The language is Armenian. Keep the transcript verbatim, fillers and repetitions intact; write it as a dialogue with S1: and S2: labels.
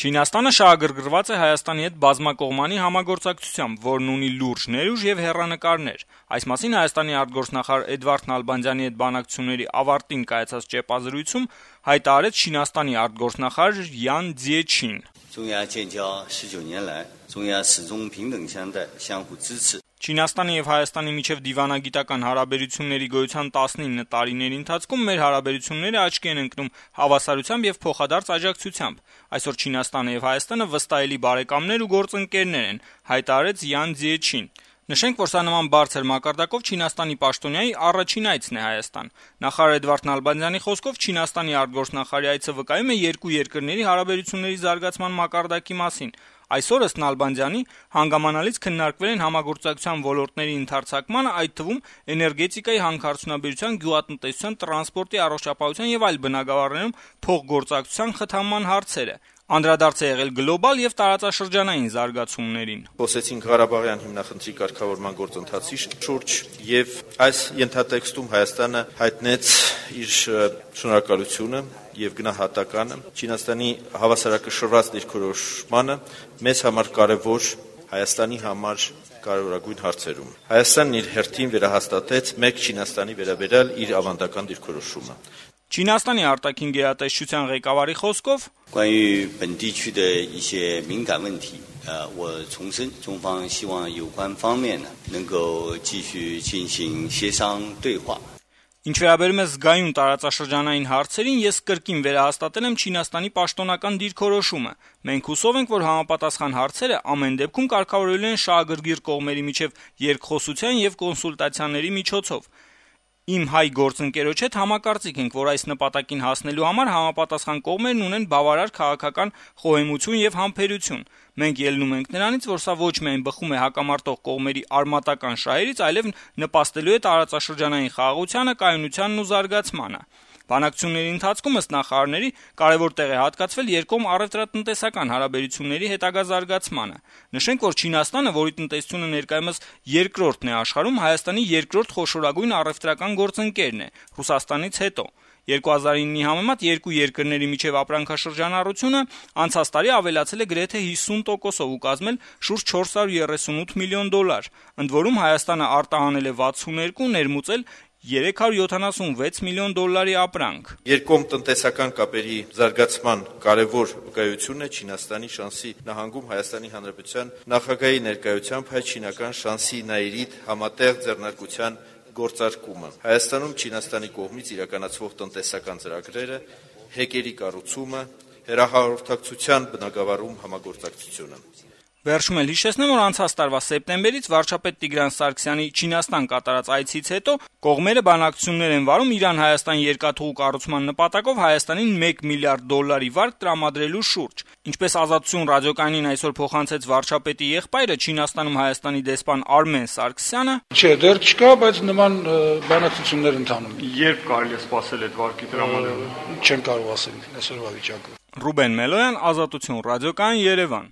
S1: Չինաստանը շահագրգռված է Հայաստանի հետ բազմակողմանի համագործակցությամբ, որն ունի լուրջ ներուժ եւ հեռանկարներ։ Այս մասին Հայաստանի արտգործնախարար Էդվարդ Նալբանդյանի հետ բանակցությունների ավարտին կայացած ճեպազրույցում հայտարարեց Չինաստանի արտգործնախարար Յան Ձիեչին։ Չինաստանի եւ Հայաստանի միջեւ դիվանագիտական հարաբերությունների գոյության տասնինը տարիների ընթացքում մեր հարաբերությունները աչքի են ընկնում հավասարությամբ եւ փոխադարձ աջակցությամբ։ Այսօր Չինաստանը եւ Հայաստանը վստահելի բարեկամներ ու գործընկերներ են, հայտարարեց Յան Ձիեչին։ Նշենք, որ սա նման բարձր մակարդակով Չինաստանի պաշտոնյայի առաջին այցն է Հայաստան։ Նախարար Էդվարդ Նալբանդյանի խոսքով Չինաստանի արտգործնախարարի այցը վկայում է երկու երկրների հարաբերությունների զարգացման մակարդակի մասին։ Այսօր ըստ Նալբանդյանի հանգամանալից քննարկվել են համագործակցության ոլորտների ընդարձակմանը, այդ թվում էներգետիկայի, հանքարդյունաբերության, գյուղատնտեսության, տրանսպորտի, առողջապահության եւ այլ բնագավառներում փոխգործակցության խթանման հարցերը։ Անդրադարձ է եղել գլոբալ եւ տարածաշրջանային զարգացումներին։
S2: Խոսեցինք Ղարաբաղյան հիմնախնդրի կարգավորման գործընթացի շուրջ եւ այս ենթատեքստում Հայաստանը հայտնեց իր շնորհակալությունը եւ գնահատականը Չինաստանի հավասարակշռված դիրքորոշմանը մեզ համար կարեւոր, Հայաստանի համար կարևորագույն հարցերում։ Հայաստանն իր հերթին վերահաստատեց մեկ Չինաստանի վերաբերյալ իր ավանդական դիրքորոշումը։
S1: Չինաստանի արտաքին գերատեսչության ղեկավարի խոսքով Ինչ վերաբերում է զգայուն տարածաշրջանային հարցերին, ես կրկին վերահաստատել եմ Չինաստանի պաշտոնական դիրքորոշումը։ Մենք հուսով ենք, որ համապատասխան հարցերը ամեն դեպքում կարգավորելու են շահագրգիռ կողմերի միջև երկխոսության եւ կոնսուլտացիաների միջոցով։ Իմ հայ գործընկերոջ հետ համակարծիք ենք, որ այս նպատակին հասնելու համար համապատասխան կողմերն ունեն բավարար քաղաքական խոհեմություն եւ համբերություն։ Մենք ելնում ենք նրանից, որ սա ոչ միայն բխում է հակամարտող կողմերի արմատական շահերից, այլև նպաստելու է տարածաշրջանային խաղաղությանը, կայունությանն ու զարգացմանը։ Բանակցությունների ընթացքում ըստ նախարարների կարևոր տեղ է հատկացվել երկկողմ առևտրատնտեսական հարաբերությունների հետագա զարգացմանը։ Նշենք, որ Չինաստանը, որի տնտեսությունը ներկայումս երկրորդն է աշխարհում, Հայաստանի երկրորդ խոշորագույն առևտրական գործընկերն է, Ռուսաստանից հետո։ երկու հազար իննի համեմատ երկու երկրների միջև ապրանքաշրջանառությունը անցած տարի ավելացել է գրեթե հիսուն տոկոսով ու կազմել շուրջ չորս հարյուր երեսունութ միլիոն դոլար, ընդ որում Հայաստանը արտահանել է վաթսուններկու, ներմուծել երեք հարյուր յոթանասունվեց միլիոն դոլարի ապրանք։
S2: Երկկողմ տնտեսական կապերի զարգացման կարևոր վկայությունն է Չինաստանի շանսի նահանգում Հայաստանի Հանրապետության նախագահի ներկայությամբ հայ-չինական շանսի նայիրիդ համատեղ ձեռնարկության գործարկումը։ Հայաստանում Չինաստանի կողմից իրականացվող տնտեսական ծրագրերը, հեկերի կառուցումը, հեռահաղորդակցության բնագավառում համագործակցությունը։
S1: Վերջում էլ հիշեցնեմ, որ անցած տարվա սեպտեմբերից վարչապետ Տիգրան Սարգսյանի Չինաստան կատարած այցից հետո կողմերը բանակցություններ են վարում Իրան-Հայաստան երկաթուղու կառուցման նպատակով Հայաստանին մեկ միլիարդ դոլարի վարկ տրամադրելու շուրջ։ Ինչպես Ազատություն ռադիոկայանին այսօր փոխանցեց վարչապետի եղբայրը, Չինաստանում Հայաստանի դեսպան Արմեն Սարգսյանը,
S3: Չէ, դեռ չկա, բայց նման բանակցություններ ընթանում։
S4: Երբ կարելի է սպասել այդ վարկի տրամադրումը։
S3: Չեմ կարող ասել այսօրվա վիճակը։
S1: Ռուբեն Մելոյան, Ազատություն ռադիոկայան, Երևան։